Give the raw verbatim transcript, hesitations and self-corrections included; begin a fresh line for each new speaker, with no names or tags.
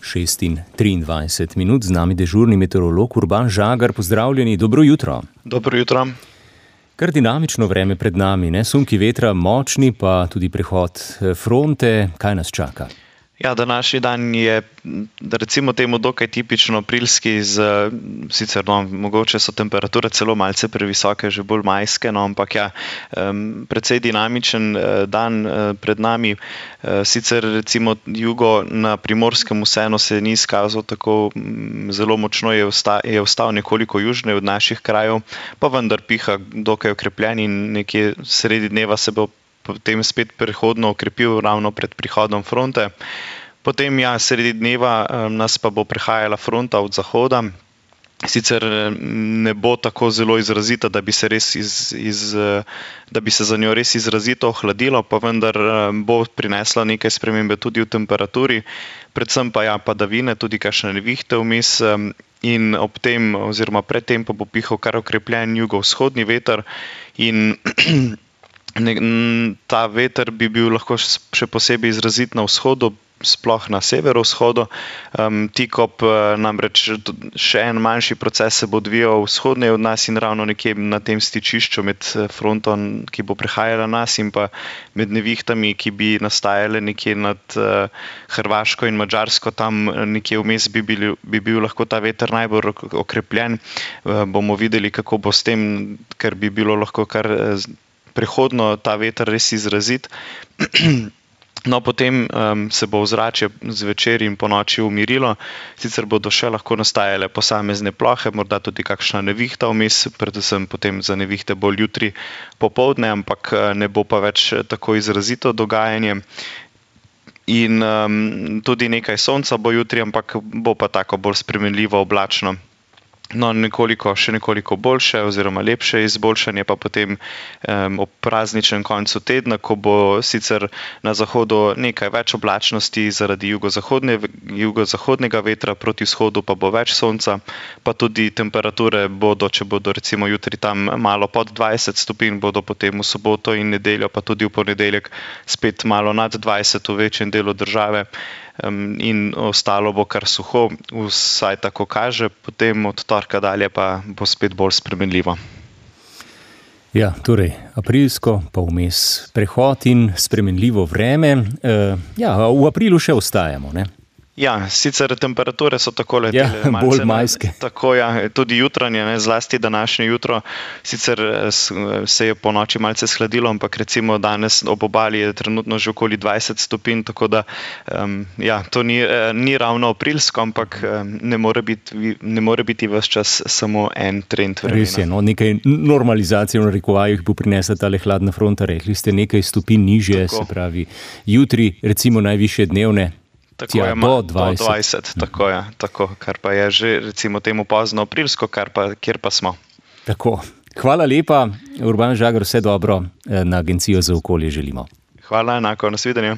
šest in triindvajset minut, z nami dežurni meteorolog Urban Žagar. Pozdravljeni, dobro jutro.
Dobro jutro.
Kar dinamično vreme pred nami, ne? Sunki vetra močni, pa tudi prehod fronte. Kaj nas čaka?
Ja, današnji dan je, recimo temu, dokaj tipično aprilski, z, sicer no, mogoče so temperature celo malce previsoke, že bolj majske, no, ampak ja, um, precej dinamičen uh, dan uh, pred nami. Uh, sicer recimo jugo na Primorskem vseeno se ni izkazal tako um, zelo močno, je, vsta, je ostal nekoliko južne od naših krajev, pa vendar piha dokaj okrepljen in nekje sredi dneva se bo potem spet prehodno okrepil ravno pred prihodom fronte. Potem ja, sredi dneva um, nas pa bo prehajala fronta od zahoda. Sicer ne bo tako zelo izrazita, da bi se, res iz, iz, da bi se za njo res izrazito ohladilo, pa vendar bo prinesla nekaj spremembe tudi v temperaturi, predvsem pa ja, padavine, tudi kakšne nevihte vmes, in ob tem oziroma pred tem pa bo pihal kar okrepljen jugovzhodni veter in ta veter bi bil lahko še posebej izrazit na vzhodu, sploh na severovzhodu. Um, tik ob namreč še en manjši proces se bo odvijal vzhodneje od nas in ravno nekje na tem stičišču med frontom, ki bo prehajala nas, in pa med nevihtami, ki bi nastajale nekje nad uh, Hrvaško in Madžarsko, tam nekje vmes bi bil, bi bil lahko ta veter najbolj okrepljen. Uh, bomo videli, kako bo s tem, ker bi bilo lahko kar uh, prehodno ta veter res izrazit. No, potem um, se bo ozračje zvečer in po noči umirilo, sicer bodo še lahko nastajale posamezne plohe, morda tudi kakšna nevihta vmes, predvsem potem za nevihte bolj jutri popoldne, ampak ne bo pa več tako izrazito dogajanje. In um, tudi nekaj sonca bo jutri, ampak bo pa tako bolj spremenljivo oblačno. No, nekoliko, še nekoliko boljše oziroma lepše izboljšanje pa potem um, ob prazničnem koncu tedna, ko bo sicer na zahodu nekaj več oblačnosti zaradi jugozahodne, jugozahodnega vetra, proti vzhodu pa bo več sonca, pa tudi temperature bodo, če bodo recimo jutri tam malo pod dvajset stopinj, bodo potem v soboto in nedeljo, pa tudi v ponedeljek spet malo nad dvajset v večjem delu države. Um, in ostalo bo kar suho, vsaj tako kaže, potem od torka dalje pa bo spet bolj spremenljivo.
Ja, torej aprilsko, pa vmes prehod in spremenljivo vreme. E, ja, v aprilu še ostajamo, ne?
Ja, sicer temperature so takole
ja, bolj majske.
Tako, ja, tudi jutranje, ne, zlasti današnje jutro. Sicer se je po noči malce shladilo, ampak recimo danes ob obali je trenutno že okoli dvajset stopinj, tako da um, ja, to ni, ni ravno aprilsko, ampak ne more biti, ne more biti ves čas samo en trend vremena.
Res je, no, nekaj normalizacije v narekovajih bo prinesla tale hladna fronta, rekli ste nekaj stopinj nižje, tako. Se pravi jutri recimo najvišje dnevne.
Tako je, do dvajset, do dvajset tako je, tako, kar pa je že recimo temu pozno aprilsko, kar pa, kjer pa smo.
Tako, hvala lepa, Urban Žagar, vse dobro na Agencijo za okolje želimo.
Hvala, enako, nasvidenje.